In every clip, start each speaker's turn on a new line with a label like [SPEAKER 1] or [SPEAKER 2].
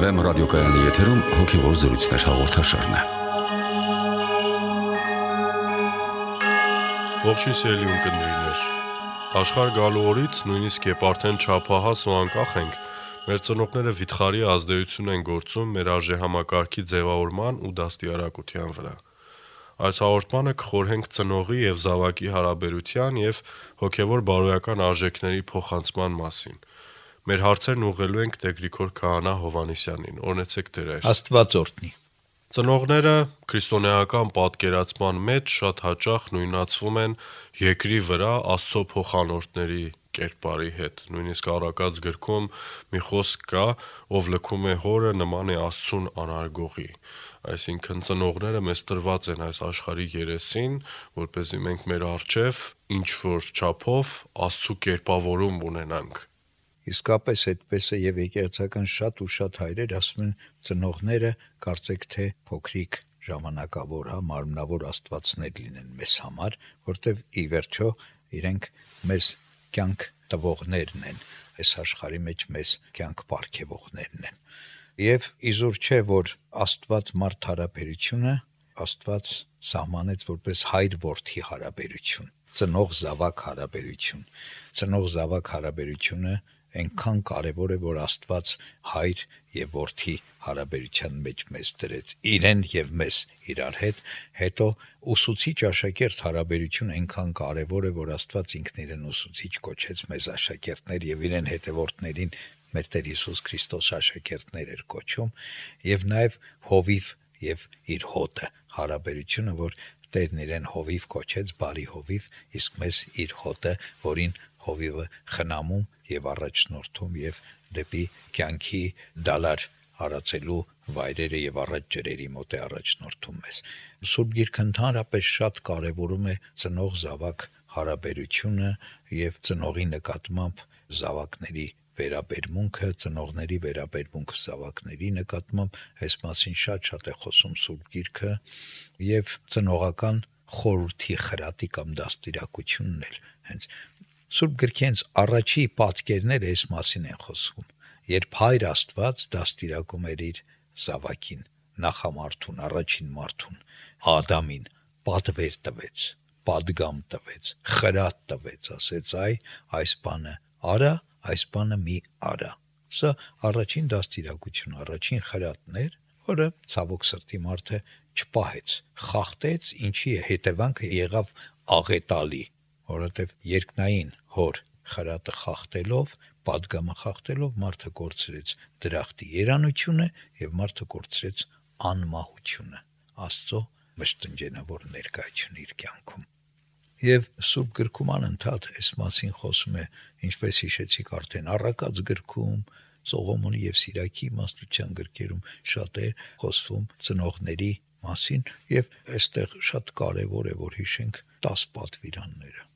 [SPEAKER 1] Վեմ ռադիոկայանի եթերում հոգևոր զրույցներ հաղորդաշարն է։
[SPEAKER 2] Ողջույն սիրելի ունկնդիրներ։ Աշխարհ գալու օրից նույնիսկ երբ արդեն չափահաս ու անկախ ենք, մեր ծնողները վիթխարի ազդեցություն են գործում մեր արժեհամակարգի ձևավորման ու դաստիարակության վրա։ Այս հաղորդմանը կխորհենք ծնողի եւ զավակի հարաբերության եւ հոգեվոր բարոյական արժեքների փոխանցման մասին։ Մեր հարցերն ուղղելու ենք Տեր Գրիգոր Քահանա Հովհաննիսյանին։ Օրհնեցեք Տեր Հայր։
[SPEAKER 3] Աստված օրհնի։
[SPEAKER 2] Ծնողները քրիստոնեական պատկերացման մեջ շատ հաճախ նույնացվում են երկրի վրա Աստծո փոխանորդների կերպարի հետ։ Նույնիսկ Առակաց գրքում մի խոսք կա, ով լքում է հորը, նման է Աստծուն անարգողի։ Այսինքն ծնողները մեզ տրված են այս աշխարհի երեսին, որպեսզի մենք մեր առջև ինչ որ չափով Աստծո կերպավորում ունենանք։
[SPEAKER 3] Իսկապես այդպես է եւ եկեղեցական շատ ու շատ հայրեր ասում են ծնողները կարծեք թե փոքրիկ ժամանակավոր, մարմնավոր աստվածներ լինեն մեզ համար, որտեվ ի վերջո իրենք մեզ կյանք տվողներն են, այս աշխարհի մեջ մեզ կյանք պարգևողներն են։ Եվ իզուր չէ, որ Աստված մարդ հարաբերությունը Աստված սահմանեց որպես հայր-որդի հարաբերություն, ծնող-զավակ հարաբերություն։ Ծնող-զավակ հարաբերությունը այնքան կարևոր է, որ Աստված հայր եւ որդի հարաբերության մեջ մեզ դրեց իրեն եւ մեզ իրար հետ, հետո ուսուցիչ աշակերտ հարաբերությունը այնքան կարևոր է, որ Աստված ինքն իրեն ուսուցիչ կոչեց մեզ աշակերտներ եւ իրեն հետևորդներին մեր Տեր Հիսուս Քրիստոս աշակերտներ էր կոչում, եւ նաեւ հովիվ եւ իր հոտը հարաբերությունը, որ Տերն իրեն հովիվ կոչեց, բարի հովիվ, իսկ մեզ իր հոտը, որին հովիվը խնամում եւ առաջնորդում եւ դեպի կյանքի դալար հարացելու վայրերը եւ առաջ ջրերի մոտ է առաջնորդում մեզ։ Սուրբ Գիրքը ընդհանրապես շատ կարևորում է ծնող-զավակ հարաբերությունը եւ ծնողի նկատմամբ զավակների վերաբերմունքը, ծնողների վերաբերմունքը զավակների նկատմամբ, այս մասին շատ է խոսում Սուրբ Գիրքը եւ ծնողական խորհրդի խրատի կամ դաստիարակությունն էլ հենց Սուրբ Գրքի հենց առաջի պատկերները այս մասին են խոսում, երբ Հայր Աստված դաստիարակում էր իր զավակին, նախամարդուն, առաջին մարդուն, Ադամին, պատվեր տվեց, պատգամ տվեց, խրատ տվեց, ասեց այս բանը արա, այս բանը մի արա։ Սա առաջին դաստիարակություն, առաջին խրատն էր, որը ցավոք սրտի մարդը չպահեց, խախտեց, ինչի հետևանքը եղավ աղետալի, որովհետև երկնային հոր խրատը խախտելով, պատգամը խախտելով մարդը կորցրեց դրախտի երանությունը եւ մարդը կորցրեց անմահությունը, Աստծո մշտնջենավոր ներկայությունը իր կյանքում։ Եվ Սուրբ Գրքում անընդհատ այս մասին խոսում է, ինչպես հիշեցիք արդեն Առակաց գրքում, Սողոմոնի եւ Սիրակի իմաստության գրքերում շատ է խոսվում ծնողների մասին եւ այստեղ շատ կարեւոր է որ հիշենք 10 պատվիրանները։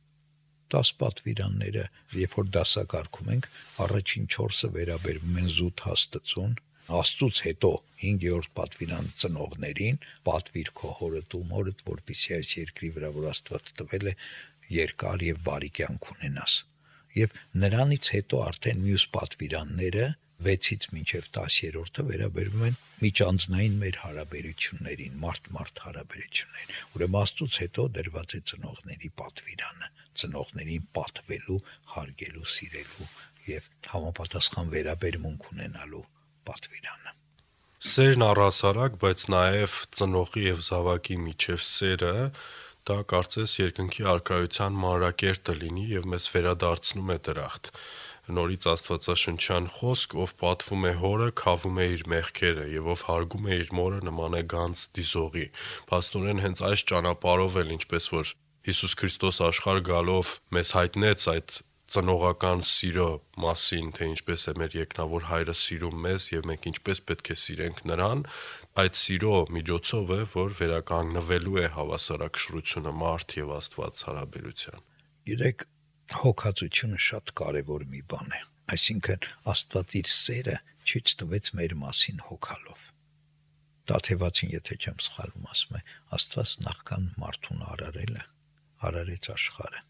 [SPEAKER 3] 10 պատվիրանները, երբ որ դասակարգում ենք, առաջին 4-ը վերաբերվում են զուտ հաստծուն, Աստծուց հետո 5-րդ պատվիրան ծնողներին, պատվիր քո հորդ ու մորդ, որպեսզի այս երկրի վրա, որ Աստված տվել է, երկար եւ բարի կյանք ունենաս։ Եվ նրանից հետո արդեն մյուս պատվիրանները 6-ից մինչև 10-րդը վերաբերվում են միջանձնային մեր հարաբերություններին, մարդ-մարդ հարաբերություններին։ Ուրեմն Աստծուց հետո դրված է ծնողների պատվիրանը, ծնողներին պատվելու, հարգելու, սիրելու եւ համապատասխան վերաբերմունք ունենալու պատվիրանը։
[SPEAKER 2] Սերն առհասարակ, բայց նաև ծնողի եւ զավակի միջև սերը, դա կարծես երկնքի արքայության մանրակերտը լինի եւ մեզ վերադարձնում է դրախտ։ Նորից Աստվածաշնչյան խոսք, ով պատվում է հորը, քավում է իր մեղքերը եւ ով հարգում է իր մորը, նման է գանձ դիզողի։ Փաստորեն հենց այս ճանապարհով էլ ինչպես որ Հիսուս Քրիստոս աշխարհ գալով մեզ հայտնեց այդ ծնողական սիրո մասին, թե ինչպես է մեր երկնավոր Հայրը սիրում մեզ եւ մենք ինչպես պետք է սիրենք նրան, այդ սիրո միջոցով է, որ վերականգնվելու է հավասարակշռությունը մարդ եւ Աստված հարաբերության։
[SPEAKER 3] Գիտեք, հոգացությունը շատ կարևոր մի բան է, այսինքն Աստված իր սերը ցույց տվեց մեր մասին հոգալով։ Տաթևացին, եթե չեմ սխալվում, ասում է, Աստված նախքան մարդուն արարեց աշխարհը,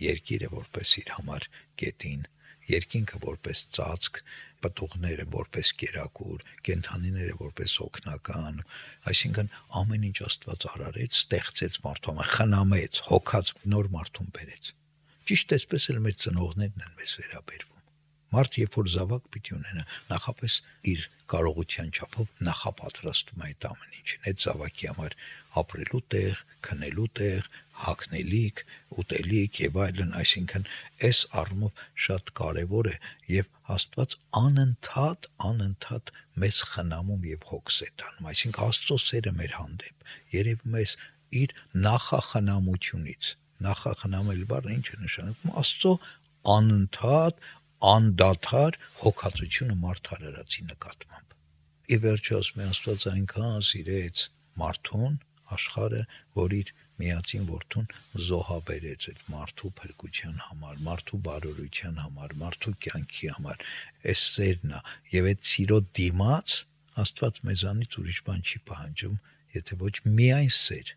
[SPEAKER 3] երկիրը որպես իր համար գետին երկինքը որպես ծածկ, պտուղները որպես կերակուր, կենդանիները որպես օգնական, այսինքն ամեն ինչ Աստված արարեց, ստեղծեց մարդու համար, խնամեց, հոգաց, նոր մարդուն բերեց։ Ճիշտ այսպես էլ մեր ծնողներն են մեզ վերաբերվում։ Մարդ երբ որ զավակ պիտի ունենա, նախապես իր կարողության չափով նախապատրաստում է այդ ամեն ինչին, այդ զավակի համար ապրելու տեղ, քնելու տեղ, հագնելիք, ուտելիք եւ այլն, այսինքն այս առումով շատ կարեւոր է եւ Աստված անընդհատ մեզ խնամում եւ հոգս է տանում, այսինքն Աստծո սերը մեր հանդեպ երևում է իր նախախնամությունից։ Նախախնամել բառը ինչ է նշանակում? Աստծո անընդհատ անդադար հոգացությունը մարդ արարածի նկատմամբ։ Ի վերջո ասում է Աստված այնքան սիրեց մարդուն, աշխարհը, որ իր միածին որդուն զոհաբերեց այդ մարդու փրկության համար, մարդու բարօրության համար, մարդու կյանքի համար։ Այս սերն է, եւ այդ սիրո դիմաց Աստված մեզանից ուրիշ բան չի պահանջում, եթե ոչ միայն սեր։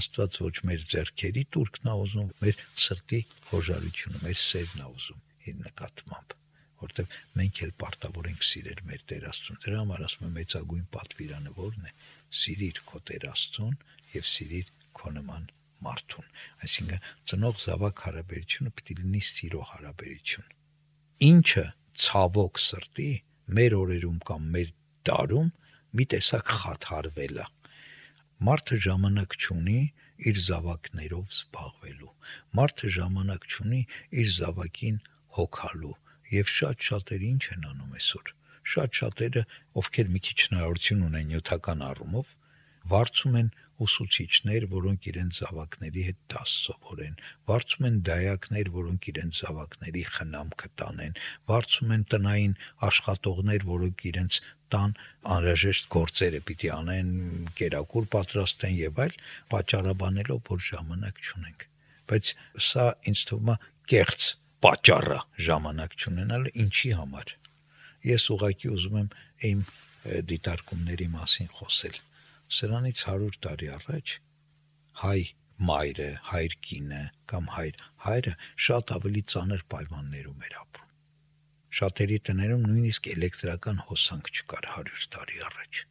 [SPEAKER 3] Աստված ոչ մեր ձեռքերի տուրքն է ուզում, մեր սրտի հոժարությունը, մեր սերն է ուզում իր նկատմամբ, որտեղ մենք էլ պարտավոր ենք սիրել մեր Տեր Աստծուն։ Դրա համար ասում եմ մեծագույն պատվիրանը որն է? Սիրիր քո Տեր Աստծուն եւ սիրիր քո նման մարդուն։ Այսինքն ծնող զավակ հարաբերությունը պիտի լինի սիրո հարաբերություն։ Ինչը ցավոք սրտի մեր օրերում կամ մեր դարում մի տեսակ խաթարվել է։ Մարդը ժամանակ չունի իր զավակներով զբաղվելու։ Մարդը ժամանակ չունի իր զավակին հոգալու։ Եվ շատ-շատերը ինչ են անում այսօր։ Շատ-շատերը, ովքեր մի քիչ հնարավորություն ունեն նյութական առումով, վարձում են ուսուցիչներ, որոնք իրենց զավակների հետ դաս սովորեն, վարձում են դայակներ, որոնք իրենց զավակների խնամքը տանեն, վարձում են տնային աշխատողներ, որոնք իրենց տան անհրաժեշտ գործերը պիտի անեն, կերակուր պատրաստեն եւ այլ, պատճառաբանելով, որ ժամանակ չունենք։ Բայց սա ինձ թվում է կեղծ պատճառը ժամանակ չունենալը ինչի համար։ Ես ուղղակի ուզում եմ իմ դիտարկումների մասին խոսել։ Սրանից 100 տարի առաջ հայ մայրը, հայր կինը կամ հայրը շատ ավելի ծանր պայմաններում էր ապրում։ Շատերի տներում նույնիսկ էլեկտրական հոսանք չկար 100 տարի առաջ։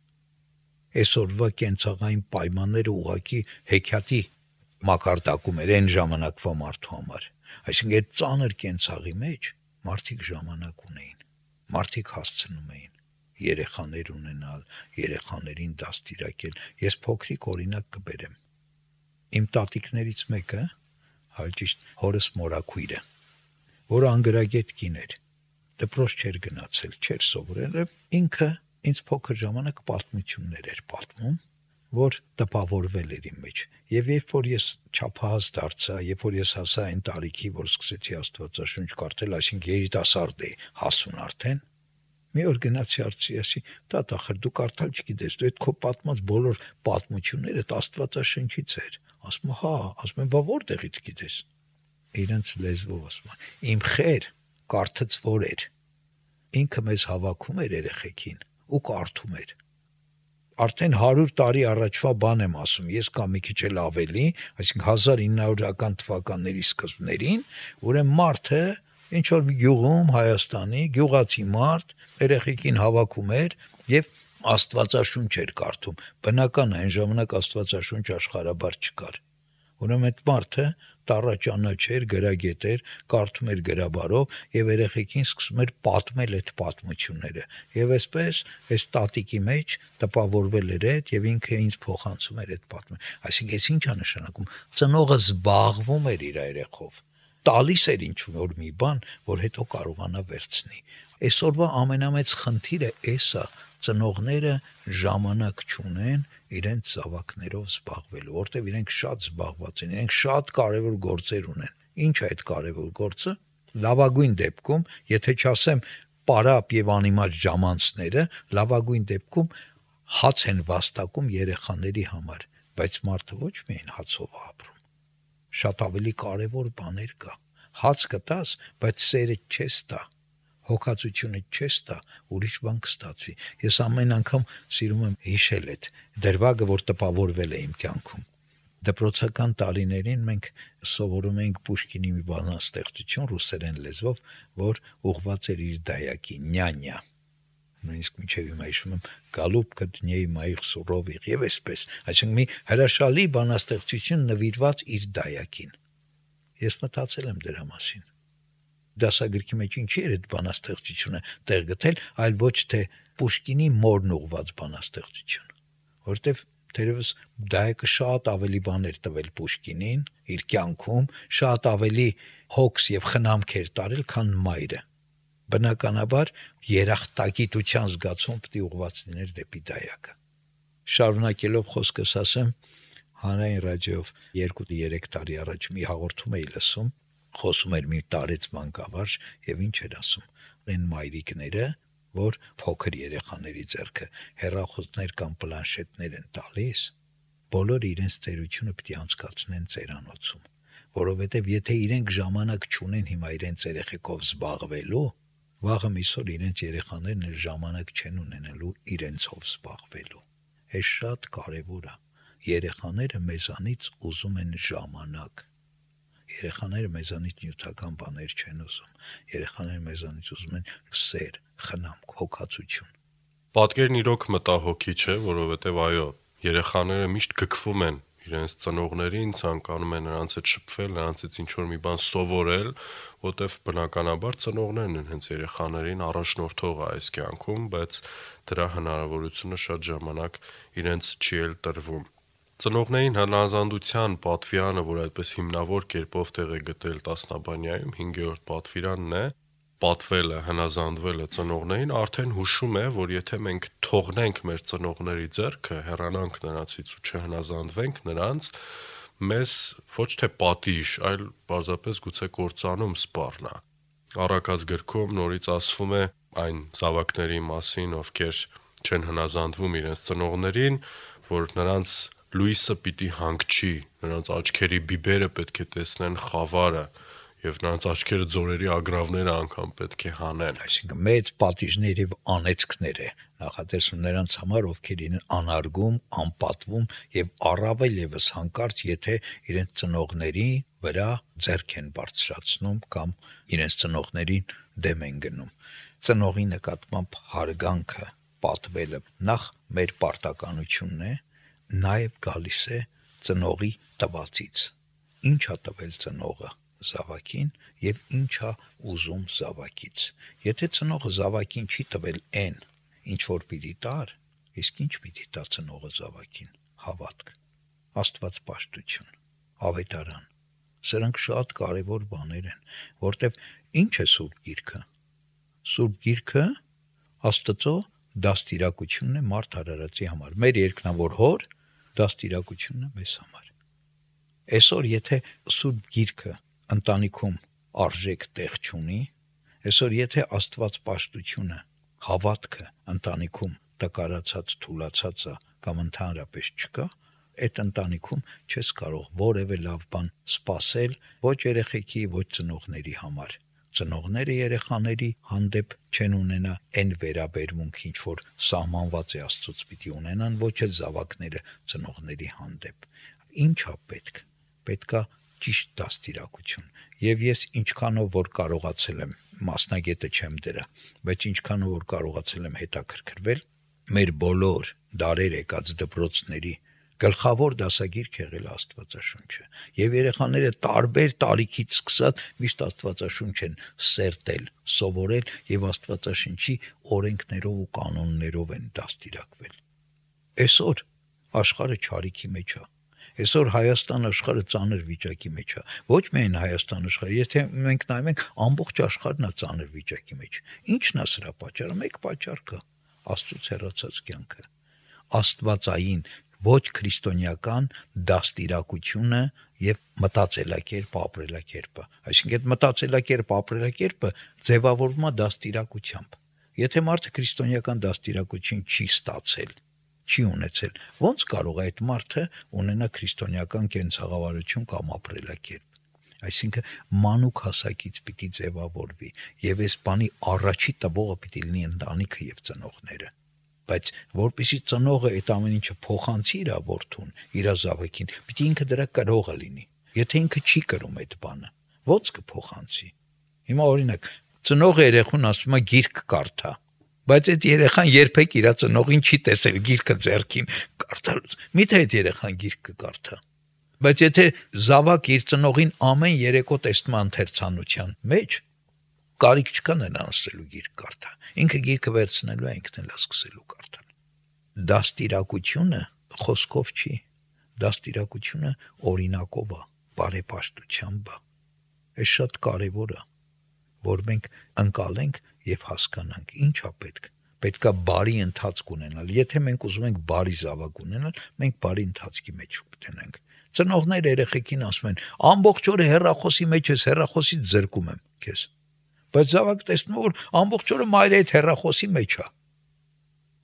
[SPEAKER 3] Այսօրվա կենցաղային պայմանները ուղղակի հեքիաթի մակարդակում էր այն ժամանակվա մարդու համար։ Այսինքն այդ ծանր կենցաղի մեջ մարդիկ ժամանակ ունեին, մարդիկ հասցնում էին երեխաներ ունենալ, երեխաներին դաստիարակել։ Ես փոքրիկ օրինակ կբերեմ։ Իմ տատիկներից մեկը, հաճիշտ հորս մորաքույրը, որը անգրագետ կին էր, դպրոց չէր գնացել, չէր սովորել, ինքը ինձ փոքր ժամանակ պատմություններ էր պատմում, որ տպավորվել էր իմ մեջ։ Եվ երբ որ ես չափահաս դարձա, երբ որ ես հասա այն տարիքի, որ սկսեցի Աստվածաշունչ կարդալ, այսինքն երիտասարդ էի, հասուն արդեն, մի օր գնացի արծիասի, տատ ախր դու կարդալ չգիտես, դու այդ քո պատմած բոլոր պատմությունները Աստվածաշնչից էր։ Ասում հա, ասում եմ, բա որտեղից գիտես։ Իրենց լեզվով ասում իմ խեր կարդացվոր էր։ Ինքը մեզ հավաքում էր երեխեքին ու կարդում էր։ Արդեն 100 տարի առաջվա բան եմ ասում, ես կամ մի քիչ էլ ավելի, այսինքն 1900-ական թվականների սկզբներին, ուրեմն մարդը ինչ որ մի գյուղում Հայաստանի գյուղացի մարդ երեխեքին հավաքում էր եւ Աստվածաշունչ էր կարդում։ Բնական է, այն ժամանակ Աստվածաշունչ աշխարհաբար չկար։ Ուրեմն այդ մարդը տառաճանաչեր, գրագետ էր, կարդում էր գրաբարով եւ երեխեքին սկսում էր պատմել այդ պատմությունները։ Եվ այսպես այս տատիկի մեջ տպավորվել էր այդ եւ ինքը ինձ փոխանցում էր այդ պատմը։ Այսինքն այս ինչ է նշանակում։ Ծնողը զբաղվում էր իր երեխով, տալիս էր ինչ որ մի բան, որ հետո կարողանա վերցնի։ Այսօրվա ամենամեծ խնդիրը էսա, ծնողները ժամանակ չունեն իրենց զավակներով զբաղվելու, որտեղ իրենք շատ զբաղված են, իրենք շատ կարևոր գործեր ունեն։ Ինչ է այդ կարևոր գործը։ Լավագույն դեպքում, եթե չասեմ պարապ եւ անիմաց ժամանցները, լավագույն դեպքում հաց են վաստակում երեխաների համար, բայց մարդը ոչ միայն հացով ապրում։ Շատ ավելի կարևոր բաներ կա։ Հաց կտաս, բայց սերը չես տա, հոգացությունը չես տա, ուրիշ բան կստացվի։ Ես ամեն անգամ սիրում եմ հիշել այդ դրվագը, որ տպավորվել է իմ կյանքում։ Դպրոցական տարիներին մենք սովորում էինք Պուշկինի մի բանաստեղծություն ռուսերեն լեզվով, որ ուղղված էր իր դայակին, նյանյա։ Նույնիսկ մինչև հիմա հիշում եմ «Գալուբկա դնեի մայիղ սուրովիղ» եւ այսպես, այսինքն մի հրաշալի բանաստեղծություն նվիրված իր դայակին։ Ես մտածել եմ դրա մասին։ Դասագրքի մեջ ինչի էր այդ բանաստեղծությունը տեղ գտել, այլ ոչ թե Պուշկինի մորն ուղված բանաստեղծություն, որտեվ թերևս դայակը շատ ավելի բաներ տվել Պուշկինին իր կյանքում, շատ ավելի հոգս եւ խնամք էր տարել, քան մայրը։ Բնականաբար երախտագիտության զգացում պետք է ուղված լիներ դեպի դայակը։ Շարունակելով խոսքս ասեմ, հանրային ռադիոյով 2-3 տարի առաջ մի հաղորդում էի լսում, խոսում էր մի տարեց մանկավարժ եւ ինչ էր ասում, այն մայրիկները, որ փոքր երեխաների ձեռքը հեռախոսներ կամ պլանշետներ են տալիս, բոլորը իրենց ծերությունը պետք է անցկացնեն ծերանոցում, որովհետև եթե իրենք ժամանակ չունեն հիմա իրենց երեխեքով զբաղվելու, վաղը միսօր իրենց երեխաներն էլ ժամանակ չեն ունենալու իրենցով զբաղվելու։ Այս շատ կարևոր է։ Երեխաները մեզանից ուզում են ժամանակ։ Երեխաները մեզանից նյութական բաներ չեն ուզում։ Երեխաները մեզանից ուզում են սեր, խնամք, հոգացություն։
[SPEAKER 2] Պատկերն իրոք մտահոգիչ է, որովհետև այո, երեխաները միշտ գկվում են իրենց ծնողներին, ցանկանում են նրանց հետ շփվել, նրանցից ինչ-որ մի բան սովորել, որտեվ բնականաբար ծնողներն են հենց երեխաներին առաջնորդողը այս կյանքում, բայց դրա հնարավորությունը շատ ժամանակ իրենց չի էլ տրվում։ Ծնողներին հնազանդության պատվիրանը, որ այդպես հիմնավոր կերպով տեղ է գտել տասնաբանյայում, 5-րդ պատվիրանն է, պատվելը, հնազանդվելը ծնողներին, արդեն հուշում է, որ եթե մենք թողնենք մեր ծնողների ձեռքը, հեռանանք նրանցից ու չհնազանդվենք նրանց, մեզ ոչ թե պատիժ, այլ պարզապես գուցե կործանում սպառնա։ Առակաց գրքում նորից ասվում է այն զավակների մասին, ովքեր չեն հնազանդվում իրենց ծնողներին, որ նրանց լույսը պիտի հանգչի, նրանց աչքերի բիբերը պետք է տեսնեն խավարը եւ նրանց աչքերը ձորերի ագռավները անգամ պետք է հանեն։
[SPEAKER 3] Այսինքն մեծ պատիժներ եւ անեծքներ է նախատեսում նրանց համար, ովքեր իրեն անարգում, անպատվում եւ առավել եւս հանկարծ, եթե իրենց ծնողների վրա ձեռք են բարձրացնում կամ իրենց ծնողներին դեմ են գնում։ Ծնողի նկատմամբ հարգանքը, պատվելը նախ մեր պարտականությունն է, նաեւ գալիս է ծնողի տվածից։ Ինչ է տվել ծնողը զավակին եւ ինչա ուզում զավակից։ Եթե ծնողը զավակին չի տվել այն, ինչ որ պիտի տար, իսկ ինչ պիտի տա ծնողը զավակին։ Հավատք, աստվածպաշտություն, ավետարան։ Սրանք շատ կարևոր բաներ են, որտեվ ինչ է Սուրբ Գիրքը։ Սուրբ Գիրքը Աստծո դաստիարակությունն է մարդ արարածի համար։ Մեր երկնավոր Հոր դաստիարակությունն է մեզ համար։ Այսօր եթե Սուրբ Գիրքը ընտանիքում արժեք տեղ չունի, այսօր եթե աստվածպաշտությունը, հավատքը ընտանիքում տկարացած, թուլացած է կամ ընդհանրապես չկա, այդ ընտանիքում չես կարող որևէ լավ բան սпасել ոչ երեխեքի, ոչ ծնողների համար։ Ծնողները երեխաների հանդեպ չեն ունենա այն վերաբերմունք, ինչ որ սահմանված է Աստծոց պիտի ունենան, ոչ էլ զավակները ծնողների հանդեպ։ Ինչա պետք։ Պետքա ճիշտ դաստիարակություն։ Եվ ես ինչքանով որ կարողացել եմ, մասնագետը չեմ դրա, բայց ինչքանով որ կարողացել եմ հետաքրքրվել, մեր բոլոր դարեր եկած դպրոցների գլխավոր դասագիրք եղել Աստվածաշունչը։ Եվ երեխաները տարբեր տարիքից սկսած միշտ Աստվածաշունչ են սերտել, սովորել եւ Աստվածաշնչի օրենքներով ու կանոններով են դաստիարակվել։ Այսօր աշխարհը չարիքի մեջ է։ Այսօր Հայաստան աշխարհը ծանր վիճակի մեջ է։ Ոչ միայն Հայաստան աշխարհը, եթե մենք նայում ենք, ամբողջ աշխարհն է ծանր վիճակի մեջ։ Ինչն է սրա պատճառը։ Մեկ պատճառ կա՝ Աստծոց հեռացած կյանքը։ Աստվածային ոչ քրիստոնեական դաստիարակությունը եւ մտածելակերպ, ապրելակերպը։ Այսինքն այդ մտածելակերպ, ապրելակերպը ձևավորվում է դաստիարակությամբ։ Եթե մարդը քրիստոնեական դաստիարակություն չի ստացել, չի ունեցել, ո՞նց կարող է այդ մարդը ունենա քրիստոնեական կենցաղավարություն կամ ապրելակերպ։ Այսինքն մանուկ հասակից պիտի ձևավորվի եւ այս բանի առաջի տվողը պիտի լինի ընտանիքը եւ ծնողները։ բայց որպեսի ծնողը այդ ամեն ինչը փոխանցի իր որդուն, իր զավակին, պիտի ինքը դրա կրողը լինի։ Եթե ինքը չի կրում այդ բանը, ո՞նց կփոխանցի։ Հիմա օրինակ, ծնողը երեխուն ասում է գիրք կարդա, բայց այդ երեխան երբեք իր ծնողին չի տեսել գիրքը ձեռքին կարդալուց։ Միթե այդ երեխան գիրք կկարդա։ Բայց եթե զավակ իր ծնողին ամեն երեկո տեսնում է ընթերցանության մեջ, կարիք չկա նրան ասելու գիրք կարդա։ Ինքը գիրքը վերցնելու է, ինքն էլ սկսելու կարդալ։ Դաստիարակությունը խոսքով չի, դաստիարակությունը օրինակով է, բարեպաշտությամբ է։ Այս շատ կարևոր է, որ մենք ընկալենք եւ հասկանանք ինչա պետքա բարի ընթացք ունենալ։ Եթե մենք ուզում ենք բարի զավակ ունենալ, մենք բարի ընթացքի մեջ կտնենք։ Ծնողները երեխեքին ասում են. ամբողջ օրը հեռախոսի մեջ ես, հեռախոսից զրկում եմ քեզ։ Բայց զավակը տեսնում է, որ ամբողջ օրը մայրը այդ հեռախոսի մեջ է։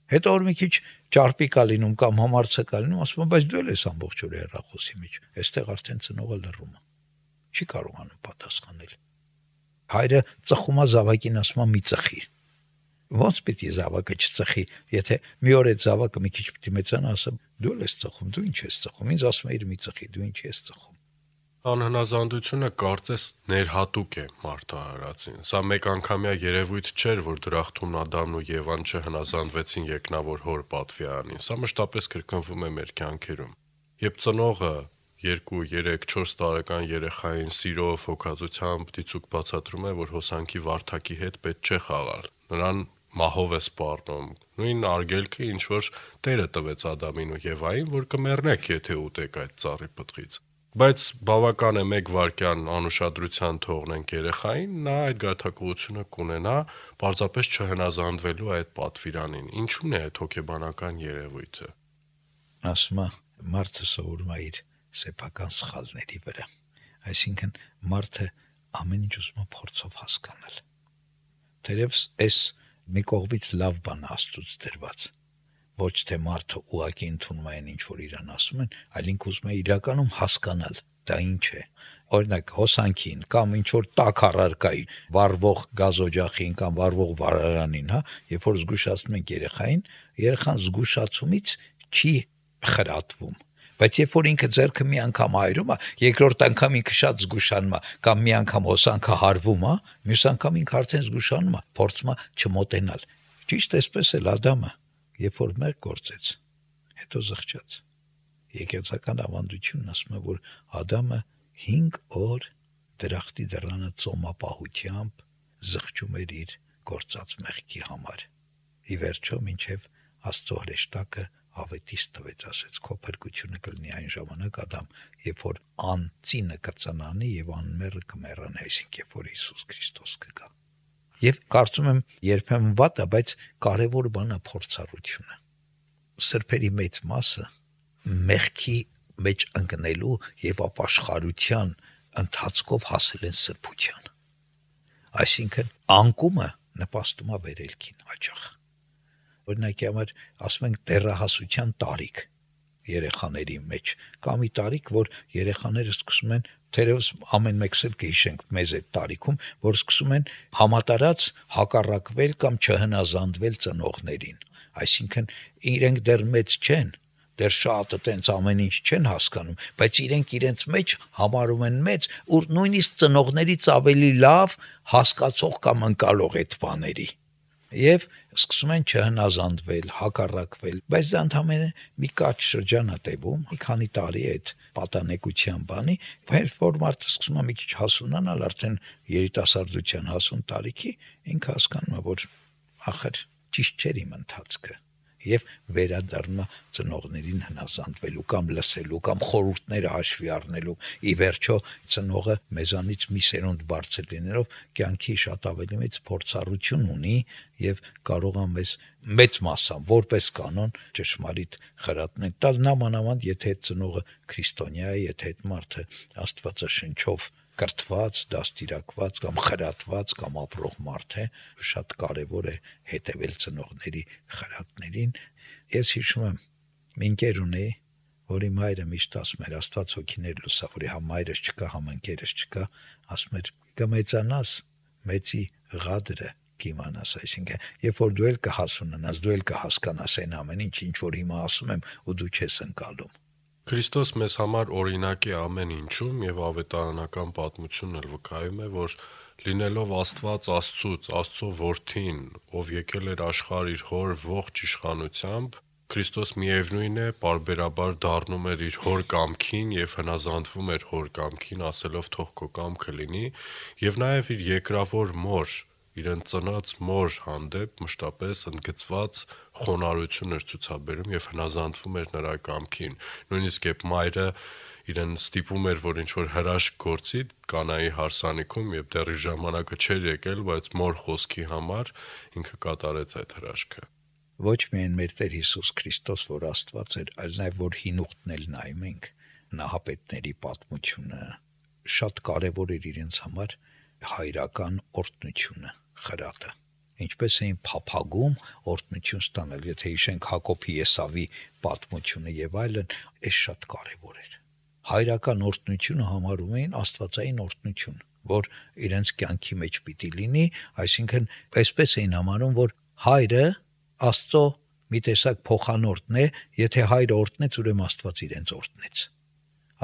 [SPEAKER 3] Հետո որ մի քիչ ճարպիկ է լինում կամ համարցակ է լինում, ասում է, բայց դու ես ամբողջ օրը հեռախոսի մեջ։ Այստեղ արդեն ծնողը լռում է։ Չի կարողանում պատասխանել։ Հայրը ծխում է զավակին, ասում է՝ մի ծխի։ Ոնց պիտի զավակը չծխի, եթե մի օր այդ զավակը մի քիչ պիտի մեծանա, ասա՝ դու ես ծխում, դու ինչ ես ծխում։ Ինձ ասում է՝ մի ծխի, դու ինչ ես ծխում։
[SPEAKER 2] Անհնազանդությունը կարծես ներհատուկ է մարդահարացին։ Սա մեկ անգամյա երևույթ չէր, որ դրախտումն Ադամն ու Եվան չհնազանդվեցին երկնավոր հոր պատվիրանին։ Սա մշտապես կրկնվում է մեր կյանքերում։ Երբ ծնողը 2, 3, 4 տարեկան երեխային սիրով, հոգածությամբ դիցուկ բացատրում է, որ հոսանքի վարդակի հետ պետք չէ խաղալ։ Նրան մահով է սպառնում։ Նույն արգելքը, ինչ որ Տերը տվեց Ադամին ու Եվային, որ կմեռնեք, եթե ուտեք այդ ծառի պտղից։ Բայց բավական է 1 վայրկյան անուշադրության թողնենք երեխային, նա այդ գայթակղությունը կունենա պարզապես չհնազանդվելու այդ պատվիրանին։ Ինչու՞ն է այդ հոգեբանական երևույթը։
[SPEAKER 3] Ասում է, մարդը սովորում է իր սեփական սխալների վրա։ Այսինքն մարդը ամեն ինչ ուզում է փորձով հասկանալ։ Թերևս այս մի կողմից լավ բան Աստծուց դրված։ Ոչ թե մարդը ուղակի ընդունում է այն ինչ որ իրան ասում են, այլ ինքը ուզում է իրականում հասկանալ դա ինչ է։ Օրինակ հոսանքին կամ ինչ որ տաք առարկայի վառվող գազօջախին կամ վառվող վառարանին, երբ որ զգուշացնում ենք երեխան զգուշացումից չի խրատվում։ Բայց երբ որ ինքը ձեռքը մի անգամ այրում է, երկրորդ անգամ ինքը շատ զգուշանում է, կամ մի անգամ հոսանքը հարվում է, մյուս անգամ ինքը արդեն զգուշանում է, փորձում է չմոտենալ։ Ճիշտ այսպես էլ Ադամը, երբ որ մեղ գործեց, հետո զղջաց։ Եկեղեցական ավանդությունն ասում է, որ Ադամը 5 օր դրախտի դռանը ծոմապահությամբ զղջում էր իր գործած մեղքի համար։ Ի վերջո մինչև Աստծո հրեշտակը ավետիս տվեց, ասեց քո փրկությունը կլինի այն ժամանակ Ադամ, երբ որ անծինը կծնանի եւ անմերը կմեռան, այսինքն երբ որ Հիսուս Քրիստոս կգա։ Եվ կարծում եմ երբեմն վատ է, բայց կարևոր բան է փորձառությունը։ Սրբերի մեծ մասը մեղքի մեջ ընկնելու եւ ապաշխարության ընթացքով հասել են սրբության։ Այսինքն անկումը նպաստում է վերելքին հաճախ։ Օրինակի համար ասում ենք դեռահասության տարիք երեխաների մեջ, կամ ի տարիք, որ երեխաները սկսում են, թերևս ամեն մեկս էլ կհիշենք մեզ այդ տարիքում, որ սկսում են համատարած հակառակվել կամ չհնազանդվել ծնողներին։ Այսինքն իրենք դեռ մեծ չեն, դեռ շատը տենց ամեն ինչ չեն հասկանում, բայց իրենք իրենց մեջ համարում են մեծ, ու նույնիսկ ծնողներից ավելի լավ հասկացող կամ ընկալող այդ բաների։ Եվ սկսում են չհնազանդվել, հակառակվել, բայց դա ընդհանրապես մի կարճ շրջան է տևում, մի քանի տարի այդ պատանեկության բանի, բայց որ մարդը սկսում է մի քիչ հասունանալ, արդեն երիտասարդության հասուն տարիքի, ինքը հասկանում է, որ ախր ճիշտ չէր իմ ընթացքը, եւ վերադառնում է ծնողներին հնազանդվելու կամ լսելու կամ խորհուրդները հաշվի առնելու։ Ի վերջո ծնողը մեզանից մի սերունդ բարձր լինելով կյանքի շատ ավելի մեծ փորձառություն ունի եւ կարող է մեծ մասամբ որպես կանոն ճշմարիտ խրատներ տալ, նամանավանդ եթե այդ ծնողը քրիստոնյա է, եթե այդ մարդը Աստվածաշնչով կրթված, դաստիարակված կամ խրատված կամ ապրող մարդ է, շատ կարևոր է հետևել ծնողների խրատներին։ Ես հիշում եմ, մի ընկեր ունեի, որի մայրը միշտ ասում էր, Աստված հոգիներ լուսավորի, համ մայրս չկա, համ ընկերս չկա, ասում էր՝ կմեծանաս, մեծի ղադրը կիմանաս, այսինքն, երբ որ դու էլ կհասունանաս, դու էլ կհասկանաս այն ամեն ինչ որ հիմա ասում եմ, ու դու չես ընկալում։
[SPEAKER 2] Քրիստոս մեզ համար օրինակ է ամեն ինչում եւ ավետարանական պատմությունն էլ վկայում է, որ լինելով Աստված Աստծուց, Աստծո որդին, ով եկել էր աշխարհ իր հոր ողջ իշխանությամբ, Քրիստոս միևնույն է, պարբերաբար դառնում էր իր հոր կամքին եւ հնազանդվում էր հոր կամքին, ասելով թող քո կամքը լինի, եւ նաեւ իր երկրավոր մոր, իրեն ծնած մոր հանդեպ մշտապես ընդգծված խոնարհություն էր ցուցաբերում եւ հնազանդվում էր նրա կամքին։ Նույնիսկ երբ մայրը իրեն ստիպում էր, որ ինչ որ հրաշք գործի Կանայի հարսանիքում եւ դեռ իր ժամանակը չէր եկել, բայց մոր խոսքի համար ինքը կատարեց այդ հրաշքը։
[SPEAKER 3] Ոչ միայն մեր Տեր Հիսուս Քրիստոս, որ Աստված էր, այլ նաև որ հին ուխտն էլ նայում ենք, նահապետների պատմությունը շատ կարևոր էր իրենց համար հայրական օրհնությունը, խրատը։ Ինչպես էին փափագում օրհնություն ստանել, եթե հիշենք Հակոբի Էսավի պատմությունը եւ այլն, այս շատ կարևոր էր։ Հայրական օրհնությունը համարում էին աստվածային օրհնություն, որ իրենց կյանքի մեջ պիտի լինի, այսինքն այսպես էին համարում, որ հայրը Աստծո մի տեսակ փոխանորդն է, եթե հայրը օրհնեց, ուրեմն Աստված իրենց օրհնեց։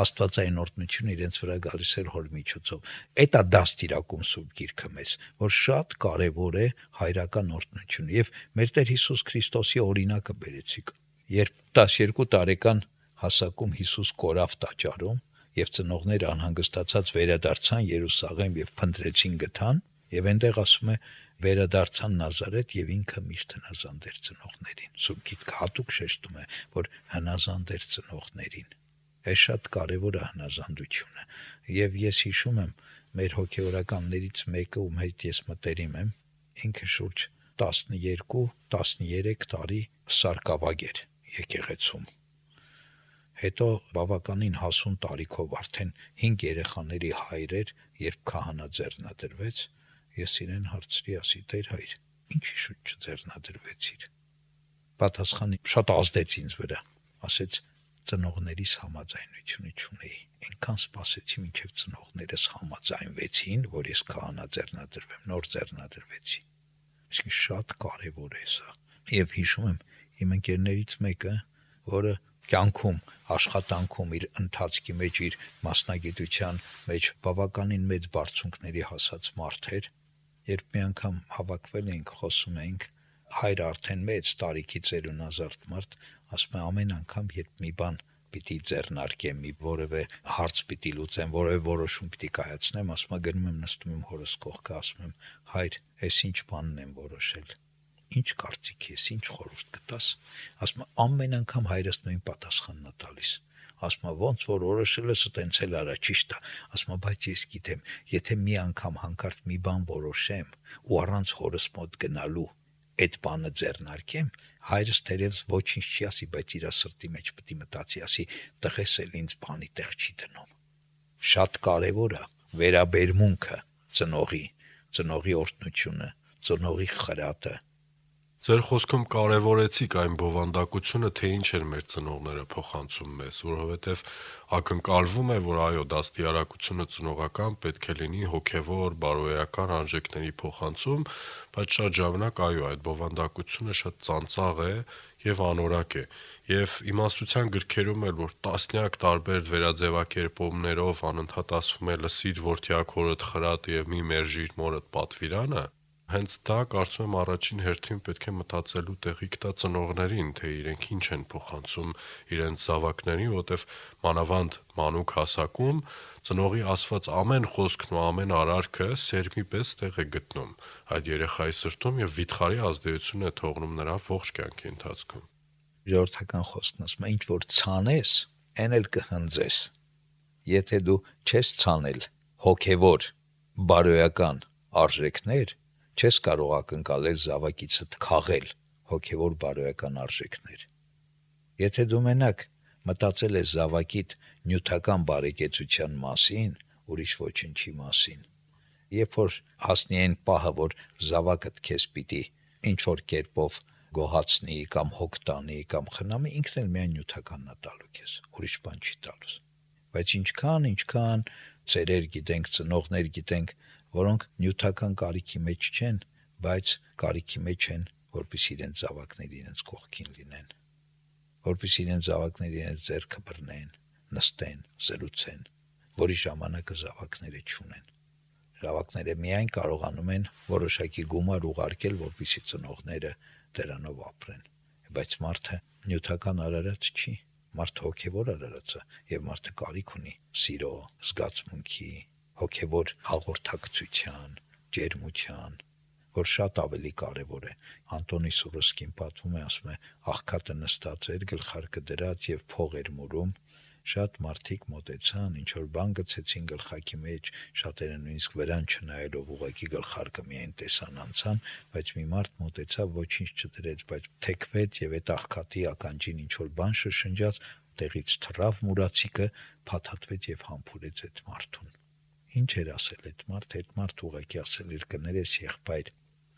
[SPEAKER 3] Աստվածային օրհնությունը իրենց վրա գալիս էր հոր միջոցով։ Էդ է դաստիարակում Սուրբ Գիրքը մեզ, որ շատ կարևոր է հայրական օրհնությունը, եւ մեր Տեր Հիսուս Քրիստոսի օրինակը բերեցիք։ Երբ 12 տարեկան հասակում Հիսուս կորավ տաճարում, եւ ծնողները անհանգստացած վերադարձան Երուսաղեմ եւ փնտրեցին գտան, եւ այնտեղ ասում է վերադարձան Նազարեթ եւ ինքը միշտ հնազանդ էր ծնողներին։ Սուրբ Գիրքը հատուկ շեշտում է, որ հնազանդ էր ծնողներին։ Այս շատ կարևոր է հնազանդությունը։ Եվ ես հիշում եմ մեր հոգեորականներից մեկը, ում հետ ես մտերիմ եմ, ինքը շուրջ 12-13 տարի սարկավագ էր եկեղեցում։ Հետո բավականին հասուն տարիքով արդեն 5 երեխաների հայր էր, երբ քահանա ձեռնադրվեց, ես իրեն հարցրի, ասի Տեր հայր, ինչի շուտ չձեռնադրվեցիր։ Պատասխանը շատ ազդեց ինձ վրա, ասեց ծնողներիս համաձայնությունը չունեի։ Այնքան սպասեցի, մինչև ծնողներս համաձայնվեցին, որ ես քահանա ձեռնադրվեմ, նոր ձեռնադրվեցի։ Իսկ շատ կարևոր է սա։ Եվ հիշում եմ իմ ընկերներից մեկը, որը կյանքում, աշխատանքում իր ընթացքի մեջ, իր մասնագիտության մեջ բավականին մեծ բարձունքների հասած մարդ էր, երբ մի անգամ հավաքվել էինք, խոսում էինք, հայրը արդեն մեծ տարիքի ծերունազարդ մարդ, ասում է ամեն անգամ, երբ մի բան պիտի ձեռնարկեմ, մի որևէ հարց պիտի լուծեմ, որևէ որոշում պիտի կայացնեմ, ասում է գնում եմ նստում եմ հորս կողքը, ասում եմ հայր, այս ինչ բանն եմ որոշել։ Ինչ կարծիք ես, ինչ խորհուրդ կտաս։ Ասում է ամեն անգամ հայրս նույն պատասխանն է տալիս։ Ասում է ոնց որ որոշել ես, տենց էլ արա, ճիշտ է։ Ասում է բայց ես գիտեմ, եթե մի անգամ հանկարծ մի բան որոշեմ ու առանց հորս մոտ գնալու այդ բանը ձեռնարկեմ, հայրս թերևս ոչինչ չի ասի, բայց իր սրտի մեջ պիտի մտածի, ասի տղես էլ ինձ բանի տեղ չի դնում։ Շատ կարևոր է վերաբերմունքը ծնողի օրհնությունը, ծնողի խրատը։
[SPEAKER 2] Ձեր խոսքում կարևորեցիք այն բովանդակությունը, թե ինչ էր մեր ծնողները փոխանցում մեզ, որովհետև ակնկալվում է, որ այո, դաստիարակությունը ծնողական պետք է լինի հոգևոր, բարոյական արժեքների փոխանցում, բայց շատ ժամանակ այո, այդ բովանդակությունը շատ ծանծաղ է եւ անորակ է։ Եվ իմաստության գրքերում էլ որ տասնյակ տարբեր վերաձևակերպումներով անընդհատ ասվում է լսիր որդյակ հորդ խրատ եւ մի մերժիր մորդ պատվիրանը, հենց դա կարծում եմ առաջին հերթին պետք է մտածելու տեղիք տա ծնողներին, թե իրենք ինչ են փոխանցում իրենց զավակներին, որտեվ մանավանդ մանուկ հասակում ծնողի ասված ամեն խոսքն ու ամեն արարքը սերմի պես տեղ է գտնում այդ երեխայի սրտում եւ վիթխարի ազդեցություն է թողնում նրա ողջ կյանքի ընթացքում։
[SPEAKER 3] Ժողովրդական խոսքն ասում է ինչ որ ցանես, այն էլ կհնձես։ Եթե դու չես ցանել հոգևոր, բարոյական արժեքներ, չես կարող ակնկալել զավակիցդ քաղել հոգևոր բարոյական արժեքներ։ Եթե դու մենակ մտածել ես զավակիդ նյութական բարեկեցության մասին, ուրիշ ոչինչի մասին, երբ որ հասնի այն պահը, որ զավակդ քեզ պիտի ինչ որ կերպով գոհացնի կամ հոգ տանի կամ խնամի, ինքն էլ միայն նյութականն է տալու քեզ, ուրիշ բան չի տալուս։ Բայց ինչքան ծերեր գիտենք, ծնողներ գիտենք, որոնք նյութական կարիքի մեջ չեն, բայց կարիքի մեջ են, որպեսզի իրենց զավակները իրենց կողքին լինեն, որպեսզի իրենց զավակները իրենց ձեռքը բռնեն, նստեն, զրուցեն, որի ժամանակը զավակները չունեն։ Զավակները միայն կարողանում են որոշակի գումար ուղարկել, որպեսզի ծնողները դրանով ապրեն, բայց մարդը նյութական արարած չի, մարդը հոգևոր արարած է, եւ մարդը կարիք ունի սիրո, զգացմունքի, հոգևոր հաղորդակցության, ջերմության, որ շատ ավելի կարևոր է։ Անտոնի Սուրոսկին պատմում է, ասում է, աղքատը նստած էր, գլխարկը դրած եւ փող էր մուրում, շատ մարդիկ մոտեցան, ինչ որ բան գցեցին գլխակի մեջ, շատերը նույնիսկ վրան չնայելով ուղղակի գլխարկը միայն տեսան անցան, բայց մի մարդ մոտեցավ, ոչինչ չդրեց, բայց թեքվեց եւ այդ աղքատի ականջին ինչ որ բան շշնջաց, տեղից թռավ մուրացիկը, փաթաթվեց եւ համբուրեց այդ մարդուն։ Ինչ էր ասել այդ մարդը, այդ մարդը ուղղակի ասել էր, կներես եղբայր,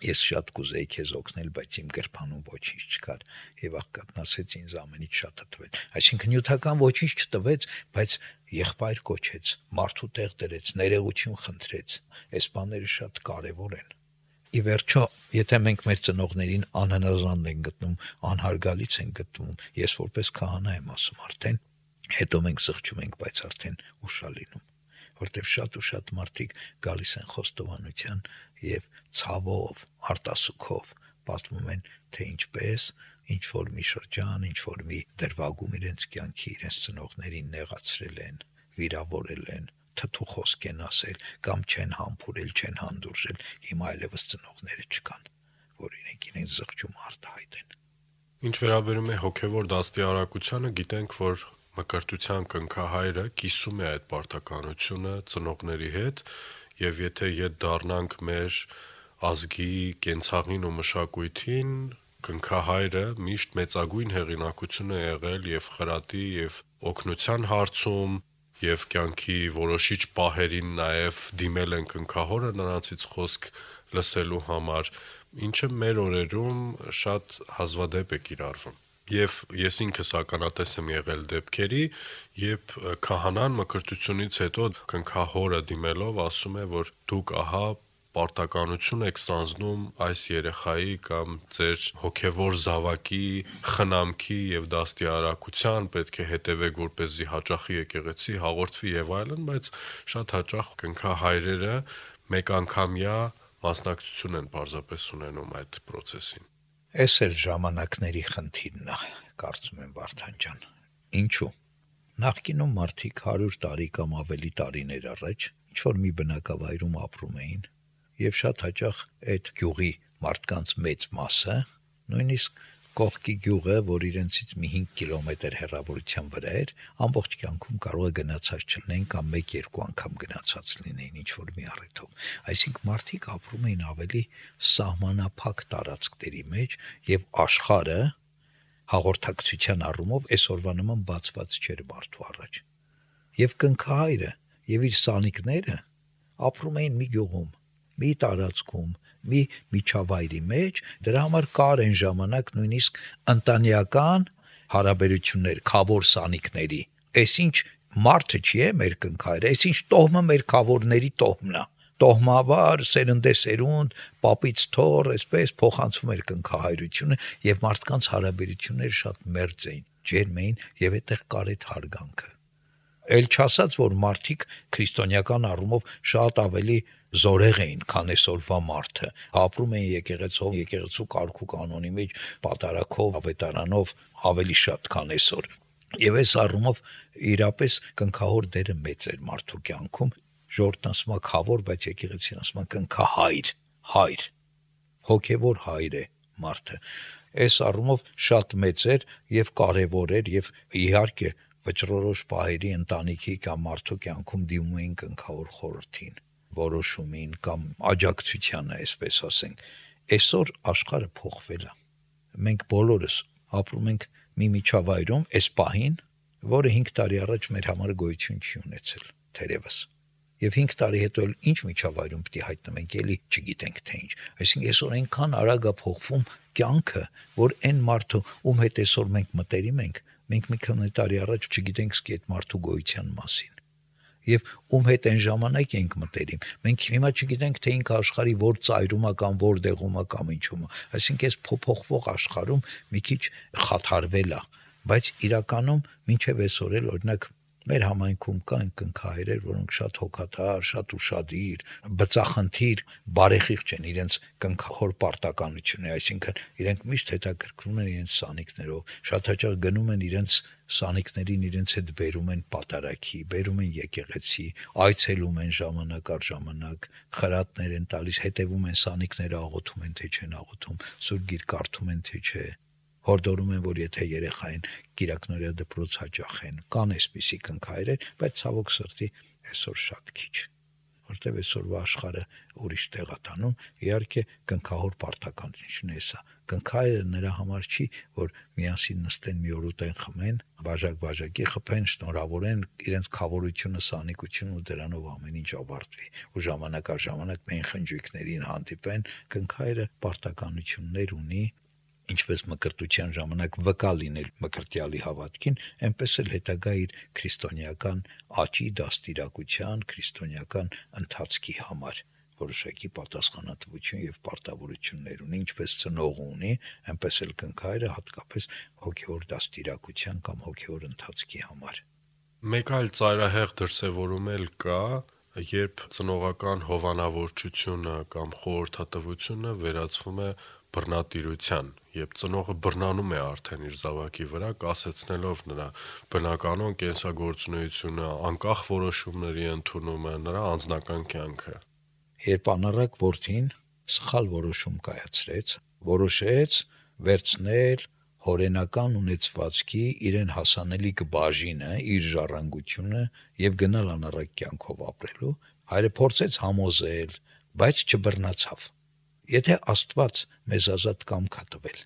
[SPEAKER 3] ես շատ կուզեի քեզ օգնել, բայց իմ գրպանում ոչինչ չկար, եւ աղքատն ասեց, ինձ ամենից շատ տվեց։ Այսինքն նյութական ոչինչ չտվեց, բայց եղբայր կոչեց, մարդու տեղ դրեց, ներողություն խնդրեց։ Այս բաները շատ կարեւոր են։ Ի վերջո, եթե մենք մեր ծնողներին անհնազանդ ենք գտնում, անհարգալից ենք գտնում, ես որպես քահանա եմ ասում արդեն, հետո մենք զղջում ենք, բայց արդեն ուշ է լինում, որտեղ շատ ու շատ մարդիկ գալիս են խոստովանության եւ ցավով, արտասուքով պատմում են, թե ինչպես ինչ որ մի շրջան, ինչ որ մի դրվագում իրենց կյանքի իրենց ծնողներին նեղացրել են, վիրավորել են, թթու խոսք են ասել կամ չեն համբուրել, չեն հանդուրժել, հիմա այլևս ծնողները չկան, որ իրենք զղջում արտահայտեն։
[SPEAKER 2] Ինչ վերաբերում է հոգևոր դաստիարակությանը, գիտենք, որ մկրտության կնքահայրը կիսում է այդ պարտականությունը ծնողների հետ, եւ եթե ետ դառնանք մեր ազգի կենցաղին ու մշակույթին, կնքահայրը միշտ մեծագույն հեղինակություն է եղել եւ խրատի եւ օգնության հարցում, եւ կյանքի որոշիչ պահերին նաեւ դիմել են կնքահորը նրանցից խոսք լսելու համար, ինչը մեր օրերում շատ հազվադեպ է կիրառվում։ Եվ ես ինքս ականատես եմ եղել դեպքերի, երբ քահանան մկրտությունից հետո կնքահորը դիմելով ասում է, որ դուք ահա պարտականություն եք ստանձնում այս երեխայի կամ ձեր հոգևոր զավակի խնամքի եւ դաստիարակության, պետք է հետևեք, որպեսզի հաճախի եկեղեցի հաղորդվի եւ այլն, բայց շատ հաճախ կնքահայրերը մեկանգամյա մասնակցություն են պարզապես ունենում այդ process-ին։
[SPEAKER 3] Այս էլ ժամանակների խնդիրն է, կարծում եմ Վարդան ջան։ Ինչու՞։ Նախկինում մարդիկ 100 տարի կամ ավելի տարիներ առաջ ինչ որ մի բնակավայրում ապրում էին, եւ շատ հաճախ այդ գյուղի մարդկանց մեծ մասը, նույնիսկ կողքի գյուղը, որ իրենցից մի 5 կիլոմետր հեռավորության վրա էր, ամբողջ կյանքում կարող է գնացած չլինեն կամ 1-2 անգամ գնացած լինեին ինչ որ մի առիթով։ Այսինքն մարդիկ ապրում էին ավելի սահմանափակ տարածքների մեջ եւ աշխարհը հաղորդակցության առումով այսօրվա նման բացված չէր մարդու առաջ։ Եվ կնքահայրը եւ իր սանիկները ապրում էին մի գյուղում, մի տարածքում, մի միջավայրի մեջ, դրա համար կար այն ժամանակ նույնիսկ ընտանեկան հարաբերություններ, քավոր սանիկների։ Այսինչ մարդը չի է մեր կնքայրը, այսինչ տոհմը մեր քավորների տոհմն է։ Տոհմաբար, սերնդեսերունդ, պապից թոռ, այսպես փոխանցվում էր կնքահայրությունը եւ մարդկանց հարաբերությունները շատ մերձ էին, ջերմ էին եւ այդտեղ կար այդ հարգանքը։ Էլ չասած, որ մարդիկ քրիստոնեական առումով շատ ավելի զորեղ էին, քան այսօրվա մարդը։ Ապրում էին եկեղեցով, եկեղեցու կարգու կանոնի մեջ, պատարակով, ավետարանով ավելի շատ, քան այսօր։ Եվ այս առումով իրապես կնքահոր դերը մեծ էր մարդու կյանքում։ Ժողովուրդն ասում է քավոր, բայց եկեղեցին ասում է կնքահայր, հայր, հոգևոր հայր է մարդը։ Այս առումով շատ մեծ էր եւ կարեւոր էր եւ իհարկե վճռորոշ պահերի ընտանիքի կամ մարդու կյանքում դիմում էին կնքավոր խորհրդին, որոշումին կամ աջակցությանը, այսպես ասենք։ Այսօր աշխարհը փոխվել է։ Մենք բոլորս ապրում ենք մի միջավայրում, այս պահին, որը 5 տարի առաջ մեր համար գոյություն չի ունեցել, թերևս։ Եվ 5 տարի հետո էլ ինչ միջավայրում պիտի հայտնվենք, էլի չգիտենք թե ինչ։ Այսինքն այսօր այնքան արագ է փոխվում կյանքը, որ այն մարդու, ում հետ այսօր մենք մտերիմ ենք, մենք մի քանի տարի առաջ չգիտենք սկի այդ մարդու գոյության մասին։ Եվ ում հետ այն ժամանակ ենք մտերիմ։ Մենք հիմա չգիտենք, թե ինքը աշխարհի որ ծայրում է կամ որ դեղում է կամ ինչում է։ Այսինքն այս փոփոխվող աշխարհում մի քիչ խաթարվել է, բայց իրականում մինչև այսօր էլ օրինակ մեր համայնքում կան կնքահայրեր, որոնք շատ հոգատար, շատ ուշադիր, բծախնդիր, բարեխիղճ են իրենց կնքահոր պարտականությունը, այսինքն իրենք միշտ հետաքրքրվում են իրենց սանիկներով, շատ հաճախ գնում են իրենց սանիկներին, իրենց հետ բերում են պատարագի, բերում են եկեղեցի, այցելում են ժամանակ առ ժամանակ, խրատներ են տալիս, հետևում են սանիկները աղոթում են, թե չեն աղոթում, Սուրբ Գիրք կարդում են, թե չէ։ Հորդորում են, որ եթե երեխային կիրակնօրյա դպրոց հաճախեն, կան այսպիսի կնքահայրեր, բայց ցավոք սրտի այսօր շատ քիչ, որտեղ այսօրվա աշխարհը ուրիշ տեղ է տանում, իհարկե կնքահոր պարտականությունն է սա։ Կնքահայրը նրա համար չի, որ միասին նստեն մի օր ուտեն խմեն, բաժակ-բաժակի խփեն, շնորհավորեն իրենց խավորությունը, սանիկությունը ու դրանով ամեն ինչ ավարտվի։ Ու ժամանակ առ ժամանակ մեն խնջույքներին հանդիպեն, կնքահայրը պարտականություններ ունի, ինչպես մկրտության ժամանակ վկա լինել մկրտյալի հավատքին, այնպես էլ հետագա իր քրիստոնեական աճի, դաստիարակության, քրիստոնեական ընթացքի համար որոշակի պատասխանատվություն եւ պարտավորություններ ունի, ինչպես ծնողը ունի, այնպես էլ կնքահայրը հատկապես հոգեոր դաստիարակության կամ հոգեոր ընթացքի համար։
[SPEAKER 2] Մեկ այլ ծայրահեղ դրսևորում էլ կա, երբ ծնողական հովանավորչությունը կամ խորհրդատվությունը վերածվում է բռնատիրության, երբ ծնողը բռնանում է արդեն իր զավակի վրա, կասեցնելով նրա բնականոն կենսագործունեությունը, անկախ որոշումների ընդունումը, նրա անձնական կյանքը։
[SPEAKER 3] Երբ անառակ որդին սխալ որոշում կայացրեց, որոշեց վերցնել հորենական ունեցվածքի իրեն հասանելիք բաժինը, իր ժառանգությունը եւ գնալ անառակ կյանքով ապրելու, հայրը փորձեց համոզել, բայց չբռնացավ։ Եթե Աստված մեզ ազատ կամք է տվել,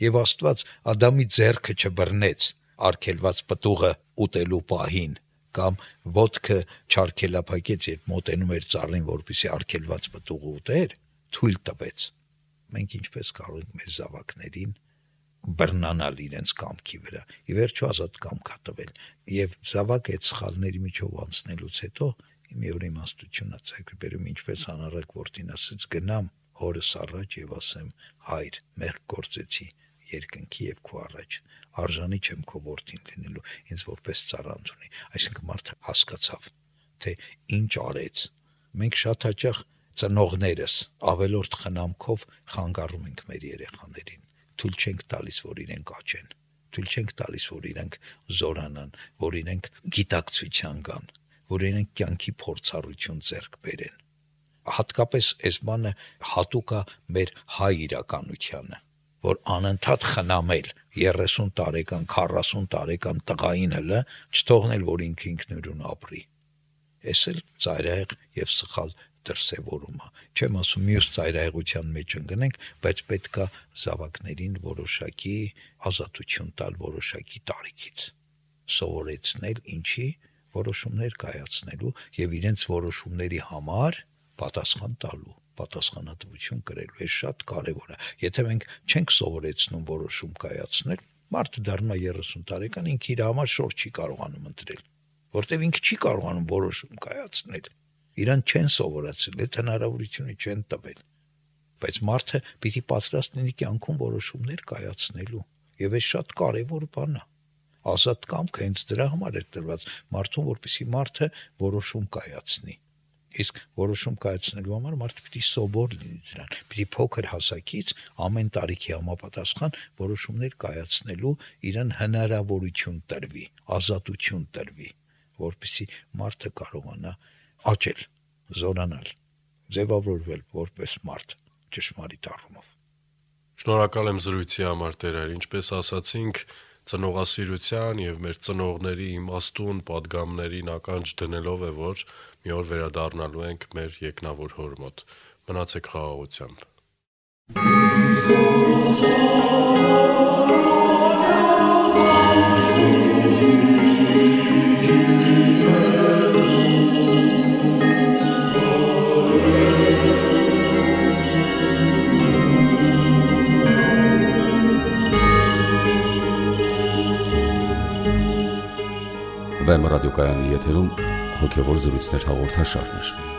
[SPEAKER 3] եւ Աստված Ադամի ձեռքը չբռնեց արգելված պտուղը ուտելու պահին, կամ ոտքը չարգելափակեց, երբ մոտենում էր ծառին, որպեսզի արգելված պտուղը ուտեր, թույլ տվեց։ Մենք ինչպես կարող ենք մեր զավակներին բռնանալ իրենց կամքի վրա, ի վերջո ազատ կամք է տվել, եւ զավակը այդ սխալների միջով անցնելուց հետո մի օր իմաստություն է ցույց բերում, ինչպես անառակ որդին ասեց, գնամ հորս առաջ եւ ասեմ, հայր, մեղք գործեցի երկնքի եւ քո առաջ, արժանի չեմ քո որդին լինելու, ինձ որպես ծառանց ունի։ Այսինքն մարդը հասկացավ, թե ինչ արեց։ Մենք շատ հաճախ ծնողներս ավելորդ խնամքով խանգարում ենք մեր երեխաներին, թույլ չենք տալիս, որ իրենք աճեն, թույլ չենք տալիս, որ իրենք զորանան, որ իրենք գիտակցության գան, որ իրենք կյանքի փորձառություն ձեռք բերեն։ Հատկապես այս բանը հատուկ է մեր հայ իրականությանը, որ անընդհատ խնամել 30 տարեկան, 40 տարեկան տղային հլը չթողնել, որ ինքը ինքնուրույն ապրի։ Էս էլ ծայրահեղ եւ սխալ դրսևորում է։ Չեմ ասում մյուս ծայրահեղության մեջ ընկնենք, բայց պետք է զավակներին որոշակի ազատություն տալ որոշակի տարիքից, սովորեցնել ինչի որոշումներ կայացնելու եւ իրենց որոշումների համար պատասխան տալու, պատասխանատվություն կրելու, է շատ կարևոր է։ Եթե մենք չենք սովորեցնում որոշում կայացնել, մարդը դառնում է 30 տարեկան, ինքը իր համար շոր չի կարողանում ընտրել, որտեվ ինքը չի կարողանում որոշում կայացնել։ Իրան չեն սովորացրել, այդ հնարավորությունը չեն տվել։ Բայց մարդը պիտի պատրաստ լինի կյանքում որոշումներ կայացնելու, եւ այս շատ կարևոր բան է։ Ազատ կամքը հենց դրա համար է տրված մարդուն, որպեսզի մարդը որոշում կայացնի։ Իսկ որոշում կայացնելու համար մարդը պիտի սովոր լինի դրան, պիտի փոքր հասակից ամեն տարիքի համապատասխան որոշումներ կայացնելու իրան հնարավորություն տրվի, ազատություն տրվի, որպեսզի մարդը կարողանա աճել, զորանալ, ձևավորվել որպես մարդ ճշմարիտ առումով։
[SPEAKER 2] Շնորհակալ եմ զրույցի համար, Տեր, ինչպես ասացինք, ծնողասիրության եւ մեր ծնողների իմաստուն պատգամներին ականջ դնելով է, որ մի օր վերադառնալու ենք մեր եկնավոր հոր մոտ։ Մնացեք խաղաղությամբ։
[SPEAKER 1] Վեմ ռադիոկայանի եթերում հոգևոր զրույցներ հաղորդաշարներ։